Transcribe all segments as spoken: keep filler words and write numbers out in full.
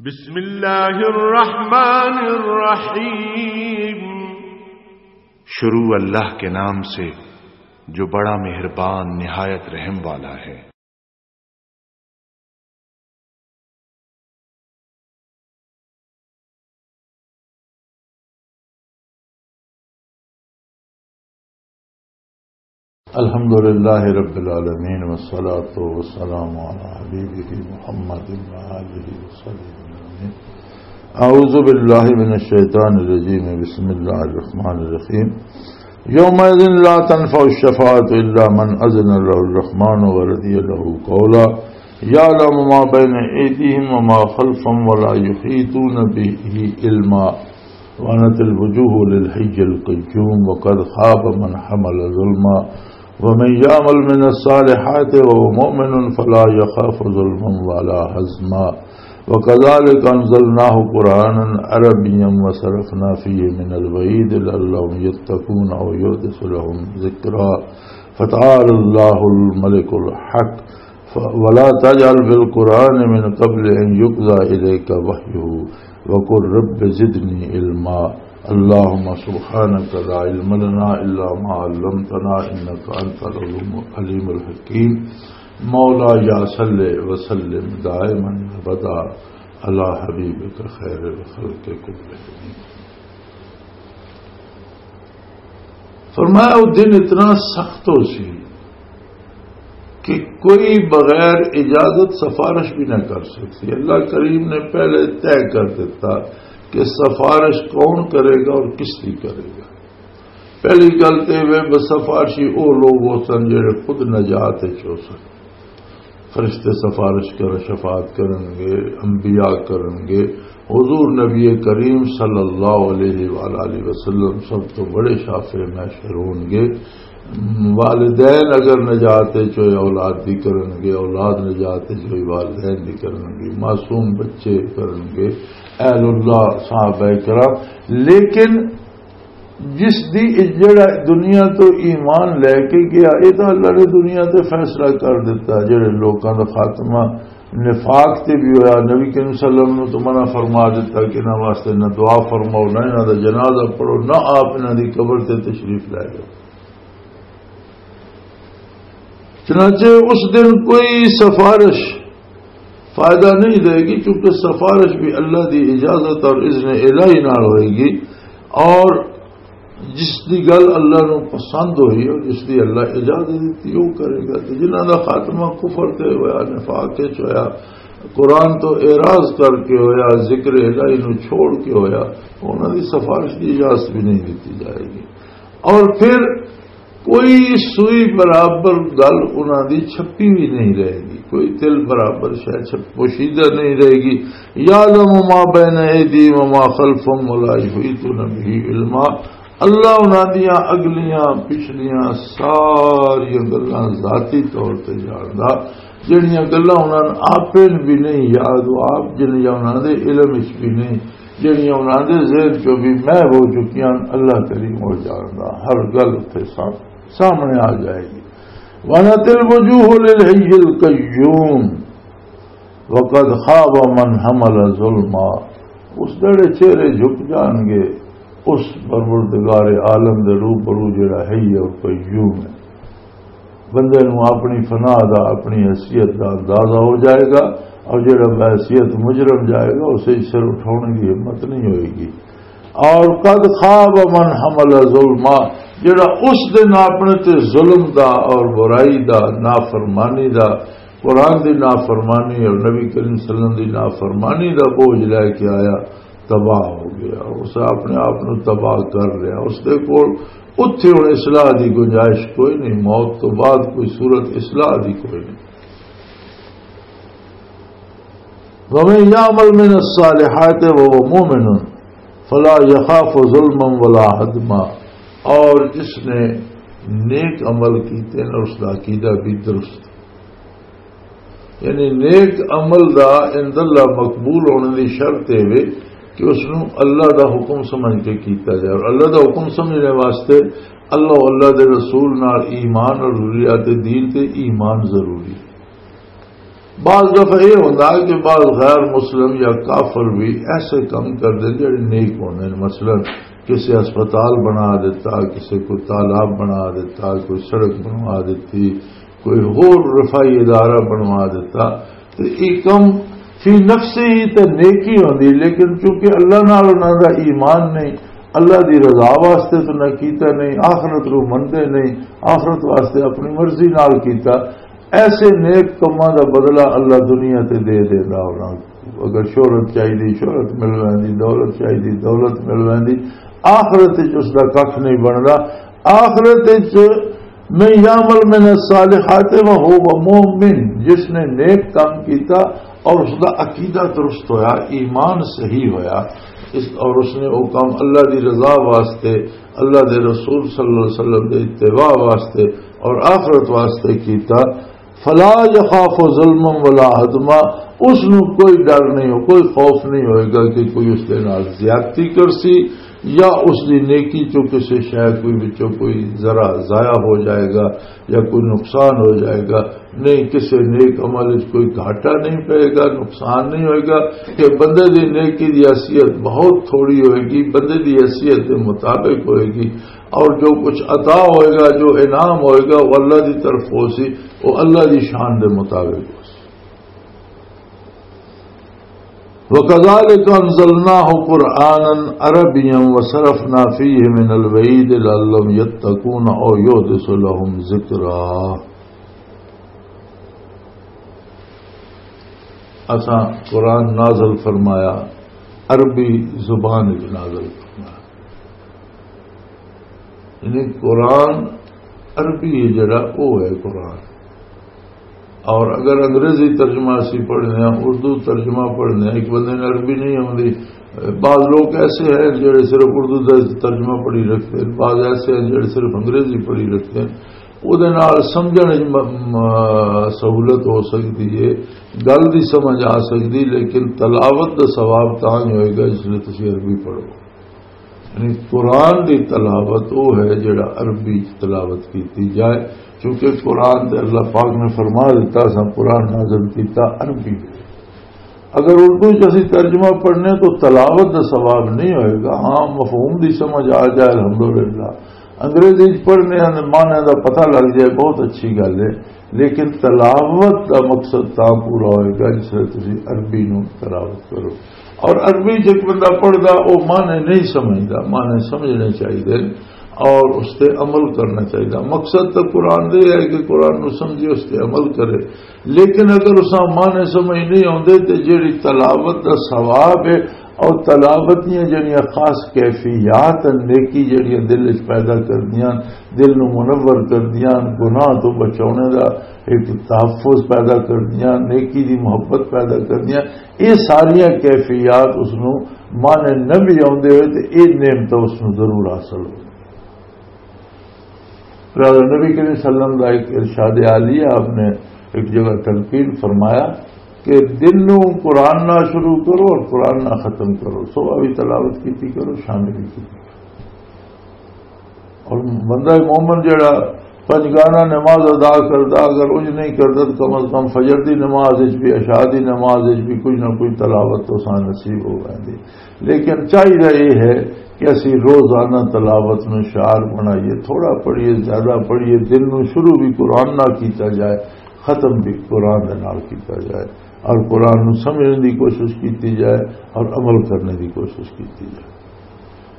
بسم اللہ الرحمن الرحیم۔ شروع اللہ کے نام سے جو بڑا مہربان نہایت رحم والا ہے۔ الحمد لله رب العالمين، والصلاة والسلام على حبيبه محمد وآله وصحبه أجمعين. أعوذ بالله من الشيطان الرجيم. بسم الله الرحمن الرحيم. يومئذ لا تنفع الشفاعة إلا من أذن له الرحمن ورضي له قولا. يعلم ما بين أيديهم وما خلفهم ولا يحيطون به علما. وعنت الوجوه للحي القيوم وقد خاب من حمل ظلما. ومن يعمل من الصالحات وهو مؤمن فلا يخاف ظلما ولا هضما. وكذلك أنزلناه قرآنا عربيا وصرفنا فيه من الوعيد لعلهم يتقون أو يحدث لهم ذكرا. فتعالى الله الملك الحق. ف-، ولا تجعل في القرآن من قبل أن يقضى إليك وحيه وقل رب زدني علما. اللهم سبحانك لا علم لنا إلا ما علمتنا إنك أنت العليم الحكيم. مولاي صل وسلم دائما أبدا على حبيبك خير الخلق كلهم. فرمایا، وہ دن اتنا سخت ہو سی کہ کوئی بغیر اجازت سفارش بھی نہ کر سکتی۔ اللہ کریم نے پہلے طے کر دیتا کہ سفارش کون کرے گا اور کس کی کرے گا۔ پہلی گل تے وہ سفارشی وہ لوگ ہو سن جڑے خود نجات وچ ہو سن۔ فرشتے سفارش کر، شفاعت کرن گے، انبیاء کرن گے۔ حضور نبی کریم صلی اللہ علیہ وآلہ وسلم سب تو بڑے شافع محشر ہون گے۔ والدین اگر نجات چوئے اولاد دی کرن گے، اولاد نجات چوئے والدین دی کرن گے، معصوم بچے کرن گے، اہل اللہ صحابہ کرام۔ لیکن جس دی، جڑا دنیا تو ایمان لے کے گیا، یہ تو اللہ نے دنیا تے فیصلہ کر دیتا۔ جڑے لوکاں دا خاتمہ نفاق تے بھی ہویا، نبی کریم صلی اللہ علیہ وسلم نے تو منع فرما دیتا کہ انہاں واسطے نہ دعا فرماؤ، نہ انہاں دا جنازہ پڑھو، نہ آپ انہاں دی قبر تے تشریف لے جاؤ۔ چنانچہ اس دن کوئی سفارش فائدہ نہیں دے گی، چونکہ سفارش بھی اللہ دی اجازت اور اذن الہی نال ہوئے گی، اور جس دی گل اللہ نو پسند ہوئی اور جس دی اللہ اجازت دیتی، وہ کرے گا۔ تے جنہاں دا خاتمہ کفر تے ہویا، نفاق وچ ہویا، قرآن تو اعراض کر کے ہویا، ذکر الہی نو چھوڑ کے ہویا، انہاں دی سفارش دی اجازت بھی نہیں دیتی جائے گی۔ اور پھر کوئی سوئی برابر گل انہاں دی چھپی بھی نہیں رہے گی، کوئی تل برابر شے چھپ پوشیدہ نہیں رہے گی۔ یعلم ما بین ایدیہم وما خلفہم ولا یحیطون بہ علما۔ اللہ انہاں دیاں اگلیاں پچھلیاں ساریاں گلاں ذاتی طور تے جاندا، جڑیاں گلاں انہاں نوں آپے بھی نہیں یاد، وہ آپ جن یا انہاں دے علم وچ بھی نہیں، جڑیاں انہاں دے ذہن چوں بھی محو ہو چکیاں، اللہ کریم وہ جاندا، ہر گل اتھے سام-، سامنے آ جائے گی۔ وَنَتِ الْوُجُوهُ لِلْحَيِّ الْقَيُّومِ وَقَدْ خَابَ مَنْ حَمَلَ ظُلْمًا۔ اس دڑے چہرے جھک جان گے اس پروردگار عالم دے روبرو جڑا حی اور قیوم ہے۔ بندے نوں اپنی فنا دا، اپنی حیثیت دا اندازہ ہو جائے گا، اور جڑا بحیثیت مجرم جائے گا، اسے سر اٹھانے کی ہمت نہیں ہوئے گی۔ اور قد خاب من حمل ظلما، جڑا اس دن اپنے تے ظلم دا اور برائی دا، نافرمانی دا، قرآن دی نافرمانی اور نبی کریم صلی اللہ علیہ وسلم دی نافرمانی دا بوجھ لے کے آیا، تباہ ہو گیا، اس اپنے آپ نو تباہ کر لیا۔ اس دے کول اتھے ہن اصلاح دی گنجائش کوئی نہیں، موت تو بعد کوئی صورت اصلاح دی کوئی نہیں۔ وَمَن يَعْمَلْ مِنَ الصَّالِحَاتِ وَهُوَ مُؤْمِنٌ فَلَا يَخَافُ ظُلْمًا وَلَا هَضْمًا، اور جس نے نیک عمل کیتے ہیں اور اس کا عقیدہ بھی درست، یعنی نیک عمل دا عند اللہ مقبول ہونے دی شرط اے وے کہ اس نوں اللہ دا حکم سمجھ کے کیتا جائے، اور اللہ دا حکم سمجھنے واسطے اللہ، اللہ دے رسول نال ایمان اور ضروریات دین تے ایمان ضروری ہے۔ بعض دفعہ یہ ہوتا ہے کہ بعض غیر مسلم یا کافر بھی ایسے کام کر دے جڑے نیک ہوندے نے۔ مثلاً کسی ہسپتال بنا دیتا، کسی کوئی تالاب بنا دیتا، کوئی سڑک بنوا دیتی، کوئی ہور رفائی ادارہ بنوا دیتا، تو یہ کم فی نفسی ہی تے نیکی ہوندی، لیکن چونکہ اللہ نال انہاں دا ایمان نہیں، اللہ دی رضا واسطے تو نہ کیتا نہیں، آخرت رو مندے نہیں، آخرت واسطے اپنی مرضی نال کیتا، ایسے نیک کماں دا بدلہ اللہ دنیا تے دے دیندا انہاں کو۔ اگر شہرت چاہیدی، شہرت مل ویندی، دولت چاہیدی، دولت مل ویندی، آخرت وچ اس دا ککھ نہیں بندا۔ آخرت وچ من یعمل من الصالحات وهو مؤمن، جس نے نیک کام کیتا اور اس دا عقیدہ درست ہویا، ایمان صحیح ہویا، اس، اور اس نے وہ کام اللہ دی رضا واسطے، اللہ دے رسول صلی اللہ علیہ وسلم دے اتباع واسطے اور آخرت واسطے کیتا، فلا یخاف ظلما ولا ہضما، اس نو کوئی ڈر نہیں ہو، کوئی خوف نہیں ہوئے گا کہ کوئی اس دے نال زیادتی کرسی یا اس دی نیکی چوں کسے شے کوئی وچوں کوئی ذرا ضائع ہو جائے گا یا کوئی نقصان ہو جائے گا۔ نہیں، کسے نیک عمل وچ کوئی گھاٹا نہیں پئے گا، نقصان نہیں ہوئے گا، کہ بندے دی نیکی دی حیثیت بہت تھوڑی ہوئے گی، بندے دی حیثیت دے مطابق ہوئے گی، اور جو کچھ عطا ہوئے گا، جو انعام ہوئے گا، وہ اللہ دی طرف ہو سی، وہ اللہ دی شان دے مطابق ہو سی۔ وَكَذَلِكَ أَنزَلْنَاهُ قُرْآنًا عَرَبِيًّا وَصَرَّفْنَا فِيهِ مِنَ الْوَعِيدِ لَعَلَّهُمْ يَتَّقُونَ أَوْ يُحْدِثُ لَهُمْ ذِكْرًا۔ اساں قرآن نازل فرمایا، عربی زبان وچ نازل فرمایا۔ یعنی قرآن عربی ہے جڑا، وہ ہے قرآن۔ اور اگر انگریزی ترجمہ اسی پڑھنے ہیں، اردو ترجمہ پڑھنے ہیں، ایک بندے نے عربی نہیں آتی، بعض لوگ ایسے ہیں جڑے صرف اردو دا ترجمہ پڑھی رکھتے ہیں، بعض ایسے ہیں جڑے صرف انگریزی پڑھی رکھتے ہیں۔ وہ دے نال سمجھنے وچ م-، م-، سہولت ہو سکتی ہے، گل دی سمجھ آ سکتی، لیکن تلاوت دا ثواب تاں ہی ہوئے گا جس لئے تسی عربی پڑھو۔ یعنی قرآن دی تلاوت وہ ہے جڑا عربی چ تلاوت کیتی جائے، کیونکہ قرآن تے اللہ پاک نے فرما دیتا، اساں قرآن نازل کیتا عربی وچ۔ اگر اردو چ اسی ترجمہ پڑھنے تو تلاوت دا ثواب نہیں ہوئے گا۔ ہاں، مفہوم دی سمجھ آ جائے الحمدللہ، انگریزی چ پڑھنے ہیں، معنی دا پتہ لگ جائے، بہت اچھی گل ہے، لیکن تلاوت دا مقصد تاں پورا ہوئے گا جس ویلے تسی عربی نو تلاوت کرو۔ اور عربی چ ایک بندہ پڑھدا، وہ معنی نہیں سمجھدا، معنی سمجھنے چاہیے اور اس تے عمل کرنا چاہیے۔ مقصد تو قرآن دے ہے کہ قرآن نو سمجھے، اس تے عمل کرے، لیکن اگر اساں معنی سمجھ نہیں آوندے تے جیڑی تلاوت دا ثواب ہے اور تلاوت دیاں جیڑیاں خاص کیفیات ہیں، نیکی جیڑیاں دل وچ پیدا کردیاں، دل نو منور کردیاں، گناہ تو بچاونے دا ایک تحفظ پیدا کردیاں، نیکی دی محبت پیدا کردیاں، یہ ساریاں کیفیات اس نو معنی نہ بھی آوندے ہوئے تے یہ نعمت اس نو ضرور حاصل ہو۔ لہذا نبی کریم صلی اللہ علیہ وسلم کا ایک ارشاد عالی ہے، آپ نے ایک جگہ تلقین فرمایا کہ دن نو قرآن نہ شروع کرو اور قرآن نہ ختم کرو، صبح بھی تلاوت کیتی کرو، شام بھی کیتی کرو۔ اور بندہ مومن جڑا پنج گانا نماز ادا کردا، اگر انج نہیں کردا تو کم از کم فجر دی نماز وچ بھی، عشاء دی نماز وچ بھی کچھ نہ کچھ تلاوت تو سان نصیب ہو ویندی۔ لیکن چاہیے یہ ہے کہ اسی روزانہ تلاوت میں شعار بنائیے، تھوڑا پڑھیے، زیادہ پڑھیے، دن نو شروع بھی قرآن نہ کیتا جائے، ختم بھی قرآن دے نال کیتا جائے اور قرآن نو سمجھنے دی کوشش کیتی جائے اور عمل کرنے دی کوشش کیتی جائے۔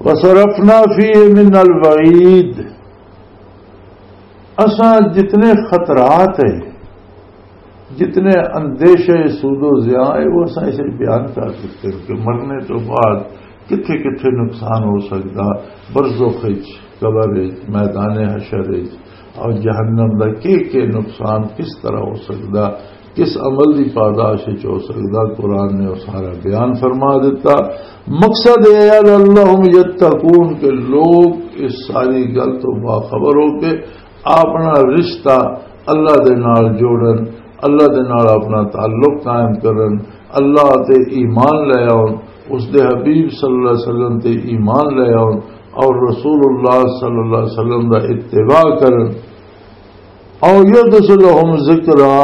وَصَرَّفْنَا فِيهِ مِنَ الْوَعِيدِ، اساں جتنے خطرات ہیں، جتنے اندیشے سود و ضیاع ہے، وہ اساں اسے بیان کر دیتے ہیں کہ مرنے تو بعد کتھے کتھے نقصان ہو سکتا، برزخ وچ، قبر وچ، میدان حشر وچ، اور جہنم دا کے کے نقصان کس طرح ہو سکتا، کس عمل دی پاداش وچ ہو سکتا، قرآن نے وہ سارا بیان فرما دیتا۔ مقصد یہ ہے، لعلہم یتقون، کہ لوگ اس ساری گل تو باخبر ہو کے اپنا رشتہ اللہ دے نال جوڑن، اللہ دے نال اپنا تعلق قائم کرن، اللہ تے ایمان لے آؤن، اس دے حبیب صلی اللہ علیہ وسلم تے ایمان لے آؤن اور رسول اللہ صلی اللہ علیہ وسلم دا اتباع کرن۔ او یحدث لہم ذکرا،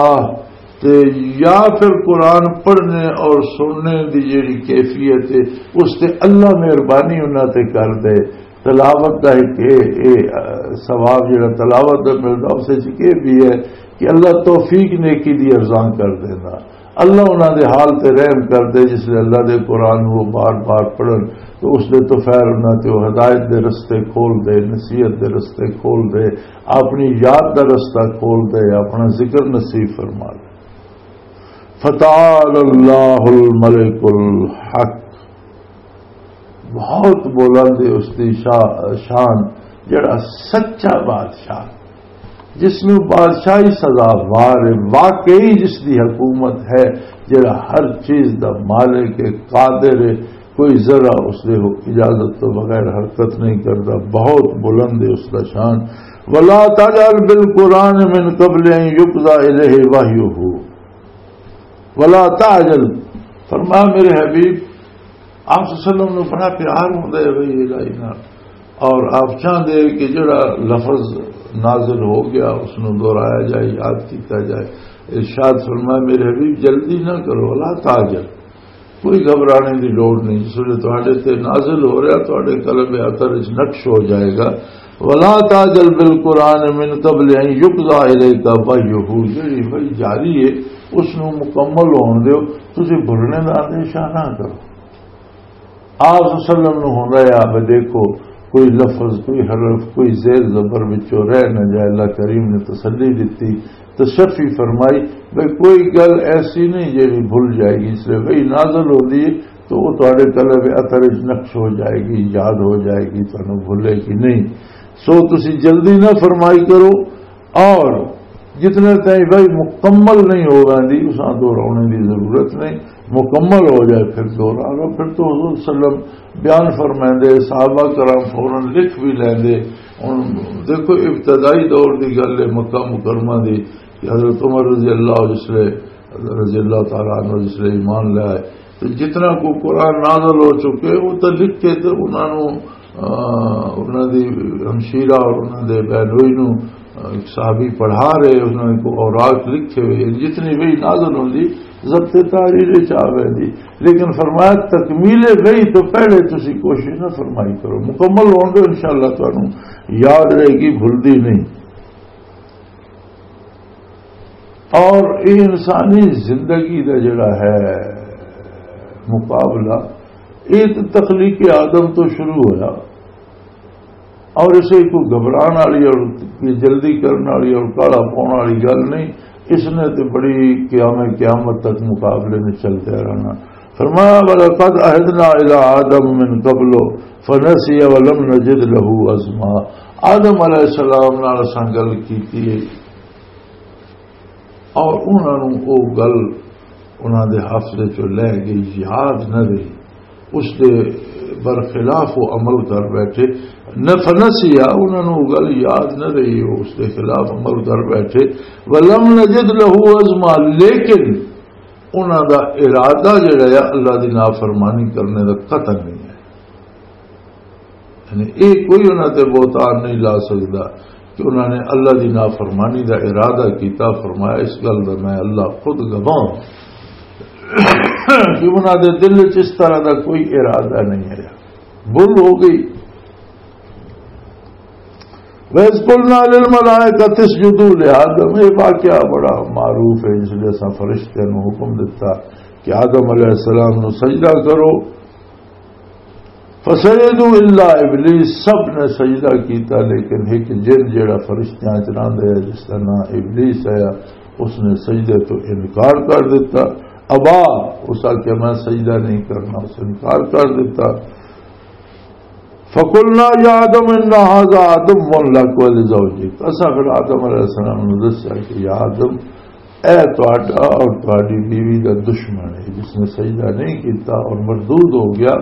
تے یا پھر قرآن پڑھنے اور سننے دی جیڑی کیفیت ہے، اس تے اللہ مہربانی انہاں تے کر دے۔ تلاوت دا ایک اے، اے، آ، ثواب جیڑا تلاوت دا ملدا، اس وچ اے بھی ہے کہ اللہ توفیق نیکی دی ارزان کر دیندا۔ اللہ انہاں دے حال تے رحم کر دے، جس لے اللہ دے قرآن نوں وہ بار بار پڑھن، تو اس دے تو خیر انہاں تے وہ ہدایت دے رستے کھول دے، نصیحت دے رستے کھول دے، اپنی یاد دا رستہ کھول دے، اپنا ذکر نصیب فرما دے۔ فتعال اللہ الملک الحق، بہت بلند ہے اس دی شا-، شان، جڑا سچا بادشاہ، جس نوں بادشاہی سزاوار ہے، واقعی جس دی حکومت ہے، جڑا ہر چیز دا مالک ہے، قادر ہے، کوئی ذرا اس دے اجازت تو بغیر حرکت نہیں کرتا، بہت بلند ہے اس دا شان۔ ولا تجعل بالقرآن من قبل ان یقضى الیہ وحیہ۔ ولا تعجل، فرمایا میرے حبیب، آپ صلی اللہ علیہ وسلم نوں بڑا پیار ہوندا ہے بھئی الہی نال، اور آپ چاہندے کہ جڑا لفظ نازل ہو گیا اس نوں دہرایا جائے، یاد کیتا جائے۔ ارشاد فرمایا میرے حبیب، جلدی نہ کرو، ولا تعجل، کوئی گھبرانے دی لوڑ نہیں۔ جس ویلے تہاڈے تے نازل ہو رہا، تہاڈے قلب اطہر وچ نقش ہو جائے گا۔ ولا تعجل بالقرآن من قبل ان یقضى الیک وحیہ، جڑی وحی جاری ہے، اس نوں مکمل ہون دیو، تسی بھلنے دا اندیشہ نہ کرو۔ آپ صلی اللہ علیہ وسلم نوں ہوندا ہے، آپ دیکھو، کوئی لفظ، کوئی حرف، کوئی زیر زبر وچوں رہ نہ جائے۔ اللہ کریم نے تسلی دتی، تشفی فرمائی، بھئی کوئی گل ایسی نہیں جیڑی بھل جائے گی۔ اس لیے وحی نازل ہوندی ہے تو وہ تہاڈے قلب اطہر وچ نقش ہو جائے گی، یاد ہو جائے گی، تانوں بھولے گی نہیں۔ سو تسی جلدی نہ فرمائی کرو، اور جتنے تائیں وحی مکمل نہیں ہو ویندی، اساں دہراونے دی ضرورت نہیں، مکمل ہو جائے پھر دہرا لو۔ پھر تو حضور صلی اللہ علیہ وسلم بیان فرمائندے، صحابہ کرام فوراً لکھ بھی لیندے۔ ہن دیکھو، ابتدائی دور دی گل ہے مکہ مکرمہ دی، کہ حضرت عمر رضی اللہ، جس لے، رضی اللہ تعالیٰ عنہ جس لے ایمان لے آئے، تو جتنا کو قرآن نازل ہو چکے، وہ تو لکھ کے تو انہاں نوں، آ، انہاں دی ہمشیرہ اور انہاں دے بہنوئی نوں، آ، صحابی پڑھا رہے، انہاں کو اوراق لکھے ہوئے، جتنی وحی نازل ہوندی، ضبط تحریر وچ آ ویندی۔ لیکن فرمایا، تکمیل وحی تو پہلے تسی کوشش نہ فرمائی کرو، مکمل ہون دو، انشاءاللہ تانوں یاد رہے گی، بھلدی نہیں۔ اور یہ انسانی زندگی دا جڑا ہے مقابلہ، یہ تو تخلیق آدم تو شروع ہویا، اور اسے کوئی گھبران والی اور کوئی جلدی کرن والی اور کالا پاؤن والی گل نہیں۔ اس نے تو بڑی قیام قیامت تک مقابلے میں چلتے رہنا۔ فرمایا، وَلَقَدْ عَهِدْنَا إِلَىٰ آدَمَ مِن قَبْلُ فَنَسِيَ وَلَمْ نَجِدْ لَهُ عَزْمًا۔ آدم علیہ السلام نال اساں گل کیتی ہے، اور انہاں نوں او گل انہاں دے حافظے چوں لہ گئی، یاد نہ رہی۔ اس دے برخلاف وہ عمل کر بیٹھے۔ نہ فنسیا، انہاں نوں او گل یاد نہ رہی، وہ اس دے خلاف عمل کر بیٹھے۔ وَلَمْ نَجِدْ لَهُ عَزْمًا، لیکن انہاں دا ارادہ جڑا ہے اللہ دی نافرمانی کرنے دا قطع نہیں ہے۔ یعنی یہ کوئی انہاں تے بہتان نہیں لا سکدا کہ انہاں نے اللہ دی نافرمانی دا ارادہ کیتا۔ فرمایا، اس گل دا میں اللہ خود گواہ ہوں کہ انہاں دے دل وچ اس طرح دا کوئی ارادہ نہیں ہے، بھول ہو گئی۔ وَإِذْ قُلْنَا لِلْمَلَائِكَةِ اسْجُدُوا لِآدَمَ، یہ واقعہ بڑا معروف ہے، جس لئے اساں فرشتیاں نوں حکم دتا کہ آدم علیہ السلام نوں سجدہ کرو۔ فَسَجَدُوا إِلَّا إِبْلِيسَ، سب نے سجدہ کیتا، لیکن ایک جن جڑا فرشتیاں چ رہندا ہے، جس کا نام ابلیس ہے، اس نے سجدے تو انکار کر دیتا۔ ابا، اس آ کہ میں سجدہ نہیں کرنا، اس انکار کر دیتا۔ فَقُلْنَا يَا آدَمُ إِنَّ هَذَا عَدُوٌّ لَكَ وَلِزَوْجِكَ۔ اساں پھر آدم علیہ السلام نوں دسیا کہ یا آدم، اے تہاڈا اور تہاڈی بیوی دا دشمن ہے، جس نے سجدہ نہیں کیتا اور مردود ہو گیا،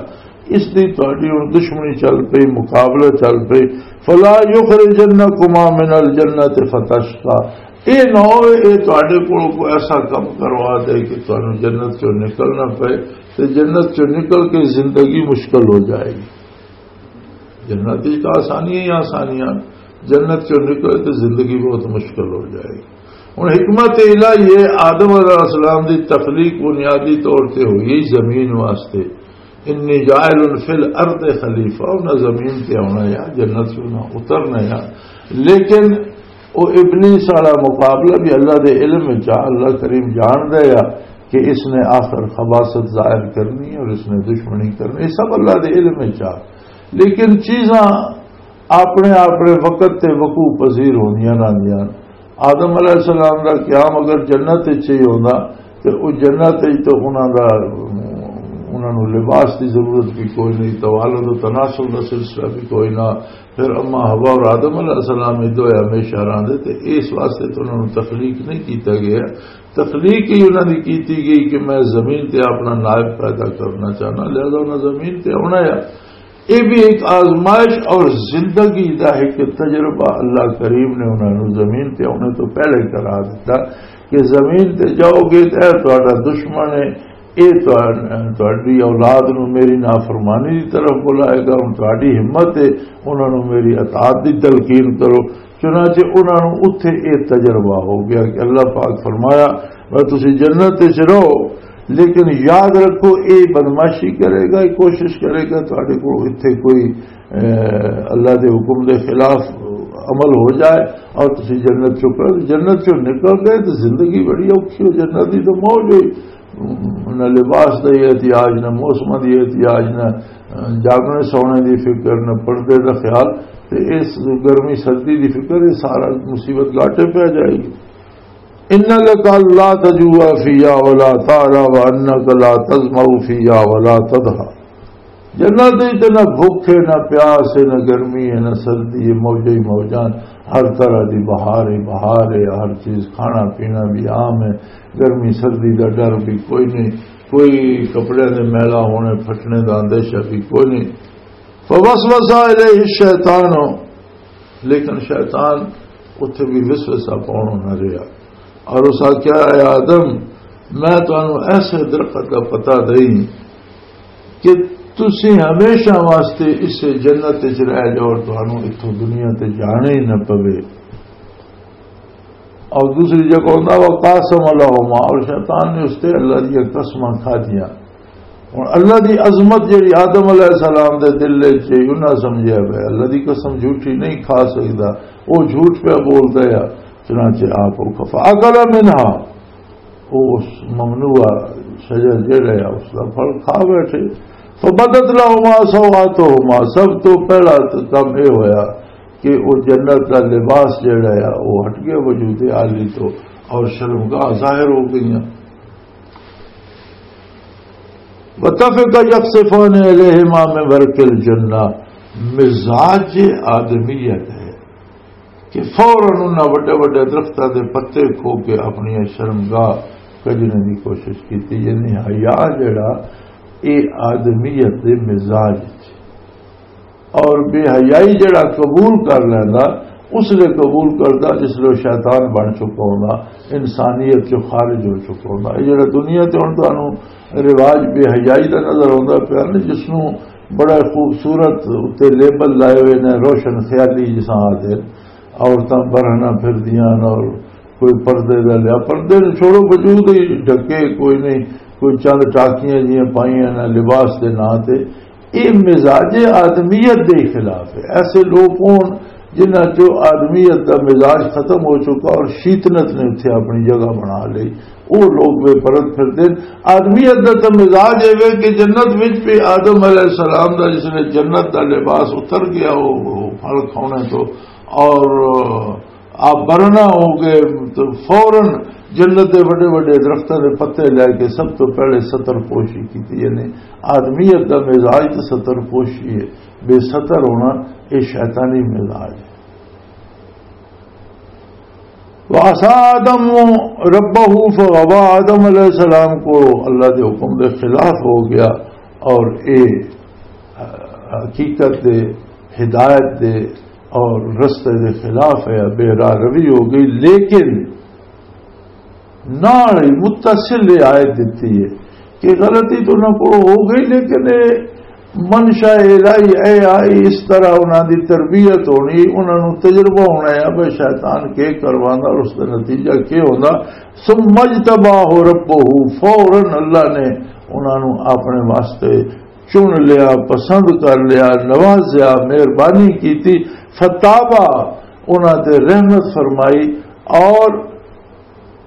اس دی تہاڈی ہن دشمنی چل پئی، مقابلہ چل پئی۔ فَلَا يُخْرِجَنَّكُمَا مِنَ الْجَنَّةِ فَتَشْقَىٰ۔ اے نہ ہوئے اے تہاڈے کول کوئی ایسا کم کروا دے کہ تہانوں جنت چوں نکلنا پئے، تے جنت چوں نکل کے زندگی مشکل ہو جائے گی۔ جنت وچ تاں آسانیاں ہی آسانیاں، جنت چوں نکلے تے زندگی بہت مشکل ہو جائے گی۔ ہن حکمت الہی یہ آدم علیہ السلام دی تخلیق بنیادی طور تے ہوئی زمین واسطے۔ انی جاعل فی الارض خلیفہ، انہاں زمین تے آنا یا جنت سے انہاں اترنا یا۔ لیکن وہ ابلیس والا مقابلہ بھی اللہ دے علم وچ آ، اللہ کریم جاندا یا کہ اس نے آخر خباثت ظاہر کرنی ہے اور اس نے دشمنی کرنی، یہ سب اللہ دے علم وچ آ۔ لیکن چیزاں اپنے اپنے وقت تے وقوع پذیر ہوندیاں رہندیاں۔ آدم علیہ السلام دا قیام اگر جنت وچ ہی ہوندا تے او جنت وچ تے انہاں دا، انہاں نوں لباس دی ضرورت بھی کوئی نہیں، توالد و تناسل دا سلسلہ بھی کوئی نہ۔ پھر اما حوا اور آدم علیہ السلام ادو ہمیشہ رہندے تے اس واسطے تے انہاں نوں تخلیق نہیں کیتا گیا۔ تخلیق ہی انہاں دی کیتی گئی کہ میں زمین تے اپنا نائب پیدا کرنا چاہنا، لہذا انہاں زمین تے آنا ہے۔ یہ بھی ایک آزمائش اور زندگی دا ایک تجربہ اللہ کریم نے انہاں نوں زمین تے آنے تو پہلے کرا دیتا کہ زمین تے جاؤ گے تے اے تہاڈا دشمن ہے، اے تہاڈ-، تہاڈی اولاد نوں میری نافرمانی دی طرف بلائے گا۔ ہن تہاڈی ہمت ہے انہاں نوں میری اطاعت دی تلقین کرو۔ چنانچہ انہاں نوں اتھے اے تجربہ ہو گیا کہ اللہ پاک فرمایا، میں تسی جنت وچ رہو، لیکن یاد رکھو، اے بدمعاشی کرے گا، اے کوشش کرے گا تہاڈے کول اتھے کوئی، اے، اللہ دے حکم دے خلاف عمل ہو جائے اور تسی جنت چوں پڑھو، جنت چوں نکل گئے تو زندگی بڑی اوکھی ہو، جنت دی تو موج ہوئی۔ نہ لباس دا احتیاج، نہ موسم دی احتیاج، نہ جاگنے سونے دی فکر، نہ پردے دا خیال، تے اس گرمی سردی دی فکر، یہ سارا مصیبت گاٹے پہ جائے گی۔ ان لک الا تجوع فیہا ولا تعری وانک لا تظمأ فیہا ولا تضحی۔ جنت وچ تے نہ بھوک ہے، نہ پیاس ہے، نہ گرمی ہے، نہ سردی ہے، موجے ہی موجاں، ہر طرح دی بہار ہی بہار ہے، ہر چیز کھانا پینا بھی عام ہے، گرمی سردی دا ڈر بھی کوئی نہیں، کوئی کپڑے دے میلا ہونے پھٹنے دا اندیشہ بھی کوئی نہیں۔ فوسوس الیہ الشیطان، لیکن شیطان اتھے بھی وسوسہ پاؤن نہ رہیا۔ اور اس آکھیا، اے آدم، میں تانوں ایسے درخت دا پتہ دئی کہ تسی ہمیشہ واسطے اس جنت وچ رہ جاؤ اور تانوں اتھوں دنیا تے جانا ہی نہ پوے۔ اور دوسری جگہ ہوندا، وقاسم لہما، اور شیطان نے اس تے اللہ دی قسماں کھا دیاں۔ ہن اللہ دی عظمت جڑی آدم علیہ السلام دے دل وچ سی، انہاں سمجھیا پیا اللہ دی قسم جھوٹی نہیں کھا سکدا، او جھوٹ پیا بولدا ہے۔ چنانچہ آپ او کھا، فاکل منہا، او اس ممنوع شجر جڑا ہے، اس دا پھل کھا بیٹھے۔ فبدت لہما سوآتہما، سب تو پہلا تے کم اے ہویا کہ او جنت دا لباس جڑا ہے، او ہٹ گیا وجود عالی تو، اور شرمگاہ ظاہر ہو گئیاں۔ وطفق یخصفان الیہما من ورق الجنہ، مزاج آدمیت ہے کہ فوراً انہاں وڈے وڈے درختاں دے پتے کھو کے اپنی شرمگاہ کجنے دی کوشش کیتی۔ یعنی حیا جڑا، اے آدمیت دے مزاج وچ اور بے حیائی جڑا قبول کر لیندا، اس لیے قبول کردا جس لیے شیطان بن چکا ہوندا، انسانیت چوں خارج ہو چکا ہوندا۔ یہ جڑا دنیا تے ہن تانوں رواج بے حیائی دا نظر آوندا پیا نا، جس نوں بڑا خوبصورت اُتے لیبل لائے ہوئے نے، روشن خیالی جساں آدھے، عورتاں برہنہ پھردیاں اور کوئی پردے دا لیا، پردے نوں چھوڑو، وجود ہی ڈھکے کوئی نہیں، کوئی چند ٹاکیاں جیاں پائیاں نے لباس دے ناں تے۔ یہ مزاج آدمیت دے خلاف ہے۔ ایسے لوگ ہون جنہاں چوں آدمیت دا مزاج ختم ہو چکا اور شیطنت نے اتھے اپنی جگہ بنا لئی، وہ لوگ بے پرد پھردے نے۔ آدمیت دا تے مزاج اے وے کہ جنت وچ بھی آدم علیہ السلام دا جس نے جنت دا لباس اتر گیا، وہ، وہ پھل کھانے تو، اور آپ برہنہ ہو گئے تو فوراً جنت دے وڈے وڈے درختاں دے پتے لے کے سب تو پہلے ستر پوشی کیتی۔ یعنی آدمیت دا مزاج تے ستر پوشی ہے، بے ستر ہونا، یہ شیطانی مزاج ہے۔ وعصى آدم ربه فغوى، آدم علیہ السلام کو اللہ دے حکم دے خلاف ہو گیا اور اے حقیقت دے، ہدایت دے اور رستے دے خلاف ہے، بے راہ روی ہو گئی۔ لیکن نال ہی متصل یہ آیت دتی ہے کہ غلطی تو انہاں کو ہو گئی، لیکن یہ منشا الہی اے آئی، اس طرح انہاں دی تربیت ہونی، انہاں نوں تجربہ ہونا ہے، بھئی شیطان کی کروانا اور اس دا نتیجہ کی ہونا۔ ثم اجتباہ ربہ، فوراً اللہ نے انہاں نوں اپنے واسطے چن لیا، پسند کر لیا، نوازیا، مہربانی کیتی۔ فتابا، انہاں تے رحمت فرمائی، اور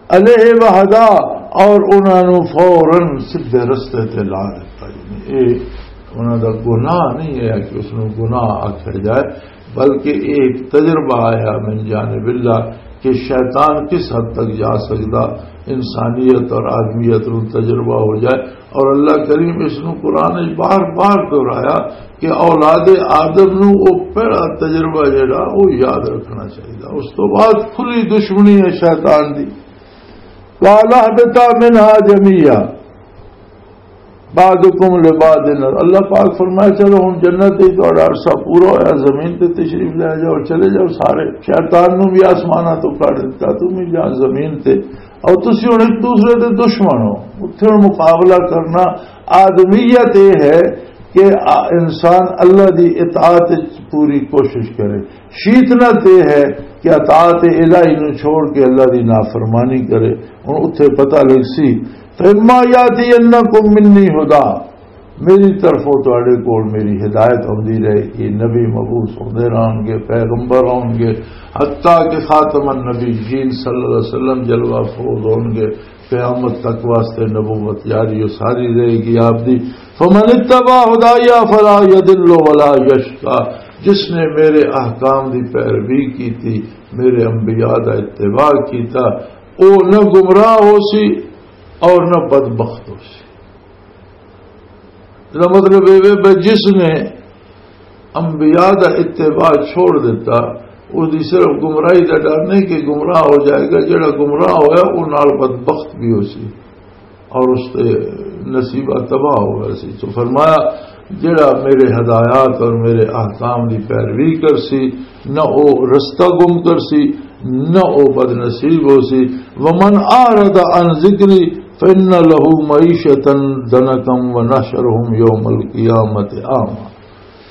علیہ وہدا، اور انہاں نوں فوراً سیدھے رستے تے لا دتا۔ یعنی اے انہاں دا گناہ نہیں ہے کہ اس نوں گناہ آکھیا جائے، بلکہ اے ایک تجربہ آیا من جانب اللہ کہ شیطان کس حد تک جا سکدا انسانیت اور آدمیت نوں تجربہ ہو جائے۔ اور اللہ کریم اس نوں قرآن وچ بار بار دہرایا کہ اولاد آدم نوں او پہلا تجربہ جڑا او یاد رکھنا چاہیے۔ اس تو بعد کھلی دشمنی ہے شیطان دی۔ قال اهبطا منها جميعا بعضكم لبعض عدو۔ اللہ پاک فرمایا، چلو ہن جنت ہی تہاڈا عرصہ پورا ہویا، زمین تے تشریف لے جاؤ، چلے جاؤ سارے۔ شیطان نوں بھی آسماناں تو کڈ دتا، تم بھی جا زمین تے، اور تسی ہن ایک دوسرے دے دشمن ہو۔ اتھے ہن مقابلہ کرنا، آدمیت یہ ہے کہ آ-، انسان اللہ دی اطاعت وچ پوری کوشش کرے۔ شیطنت یہ ہے کہ اطاعت الہی نو چھوڑ کے اللہ دی نافرمانی کرے۔ ہن اتھے پتہ لگ سی، فَإِمَّا يَأْتِيَنَّكُم مِّنِّي هُدًى، میری طرفوں تہاڈے کول میری ہدایت ہوندی رہے گی، نبی مبعوث ہوندے رہن گے، پیغمبر ہون گے، حتیٰ کہ خاتم النبیین صلی اللہ علیہ وسلم جلوہ افروز ہون گے، قیامت تک واسطے نبوت جاری و ساری رہے گی آپ دی۔ فمن اتبع ہدایا فلا یضل ولا یشقی، جس نے میرے احکام دی پیروی کیتی، میرے انبیاء دا اتباع کیتا، او نہ گمراہ ہو سی اور نہ بدبخت ہو سی۔ اس دا مطلب یہ ہے کہ جس نے انبیاء دا اتباع چھوڑ دیتا، اس دی صرف گمراہی دا ڈر نہیں کہ گمراہ ہو جائے گا، جڑا گمراہ ہویا، وہ نال بدبخت بھی ہو سی اور اس تے نصیبہ تباہ ہو گیا سی۔ تو فرمایا، جڑا میرے ہدایات اور میرے احکام دی پیروی کر سی، نہ او رستہ گم کر سی، نہ او بد نصیب ہو سی۔ ومن اعرض عن ذکری فان له معیشتا ضنکا ونحشره یوم القیامت اعمی۔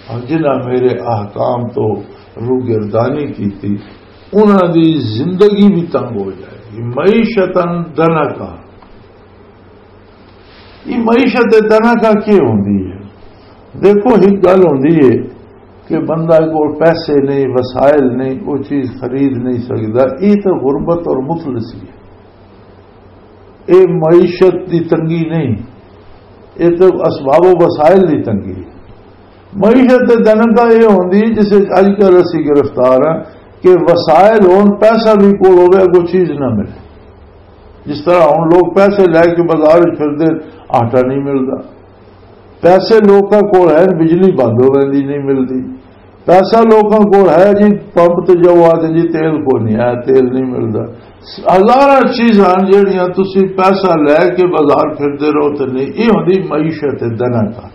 اور جنہاں میرے احکام تو روگردانی کیتی، انہاں دی زندگی بھی تنگ ہو جائے گی۔ معیشتا ضنکا، یہ معیشت ضنکا کی ہوندی ہے؟ دیکھو، ایک گل ہوندی ہے کہ بندہ کول پیسے نہیں، وسائل نہیں، وہ چیز خرید نہیں سکتا، یہ تو غربت اور مفلسی ہے۔ اے معیشت دی تنگی نہیں، اے تے اسباب و وسائل دی تنگی ہے۔ معیشت تے دنکا اے ہوندی جس وچ اج کل اسی گرفتار ہاں کہ وسائل ہون، پیسہ بھی کول ہوے، اگوں چیز نہ ملے۔ جس طرح ہن لوگ پیسے لے کے بازار وچ پھردے، آٹا نہیں ملدا۔ پیسے لوکاں کول ہے، بجلی بند ہو ویندی، نہیں ملدی۔ پیسہ لوکاں کول ہے جی، پمپ تے جاؤ، آتے جی تیل کو نہیں آیا، تیل نہیں ملدا۔ ہزاراں چیزاں جڑیاں تسی پیسہ لے کے بازار پھردے رہو تے نہیں، یہ ہوندی معیشت دنکا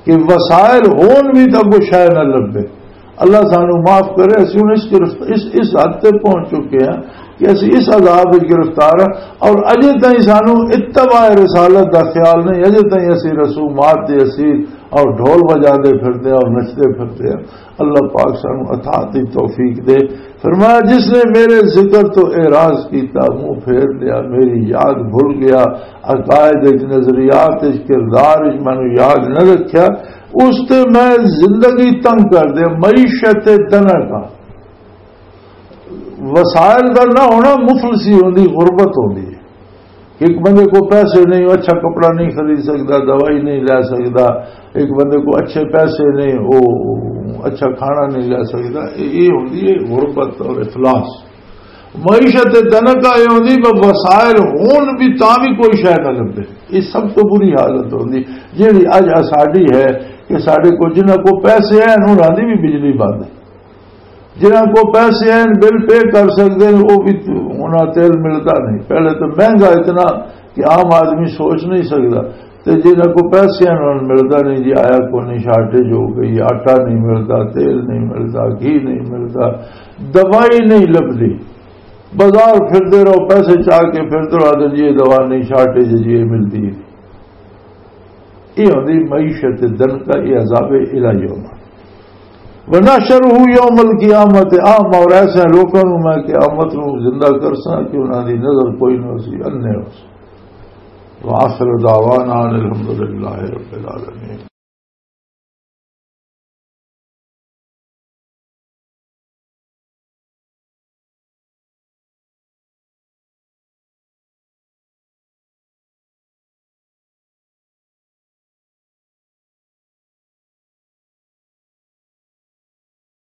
کہ وسائل ہون بھی تاں کوئی شے نہ لبے۔ اللہ سانو معاف کرے، اسی ہن اس گرفت-، اس، اس حد تے پہنچ چکے ہیں کہ اسی اس عذاب وچ گرفتار ہیں، اور اجے تائیں سانو اتباع رسالت دا خیال نہیں، اجے تائیں اسی رسومات دے اسیر اور ڈھول بجاندے پھردے ہیں اور نچدے پھردے ہیں۔ اللہ پاک سانو اطاعت دی توفیق دے۔ فرمایا، جس نے میرے ذکر تو اعراض کیتا، منہ پھیر لیا، میری یاد بھول گیا، عقائد وچ، نظریات وچ، کردار وچ مینوں یاد نہ رکھیا، اس تے میں زندگی تنگ کر دیا، معیشت دنکا۔ وسائل دا نہ ہونا مفلسی ہوندی، غربت ہوندی ہے۔ ایک بندے کو پیسے نہیں، وہ اچھا کپڑا نہیں خرید سکتا، دوائی نہیں لے سکتا، ایک بندے کو اچھے پیسے نہیں، وہ اچھا کھانا نہیں لے سکتا۔ یہ، یہ ہوندی ہے غربت اور افلاس۔ معیشت دنکا یہ ہوندی، بس وسائل ہون بھی تاں بھی کوئی شے نہ لبے۔ یہ سب تو بری حالت ہوندی، جیڑی اج ساڈی ہے کہ ساڈے کو، جنہاں کو پیسے ہیں، انہاں دی بھی بجلی بند ہے۔ جنہاں کو پیسے ہیں، بل پے کر سکتے ہیں، وہ بھی انہاں تیل ملتا نہیں۔ پہلے تو مہنگا اتنا کہ عام آدمی سوچ نہیں سکتا۔ تے جنہاں کو پیسے ہیں، انہاں نوں ملتا نہیں جی، آیا کو نہیں، شارٹیج ہو گئی، آٹا نہیں ملتا، تیل نہیں ملتا، گھی نہیں ملتا، دوائی نہیں لبدی۔ بازار پھردے رہو، پیسے چاہ کے پھردے رہو، آدھے جی یہ دوا نہیں، شارٹیج ہے جی، یہ ملتی ہے۔ یہ ہوندی معیشت دنکا، یہ عذاب الہی ہونا۔ ونحشره یوم القیامت اعمی، اور ایسے لوکاں نوں میں قیامت نوں زندہ کرساں کہ انہاں دی نظر کوئی نہ ہوسی، انے ہوسی۔ وآخر دعوانا ان الحمد للہ رب العالمین۔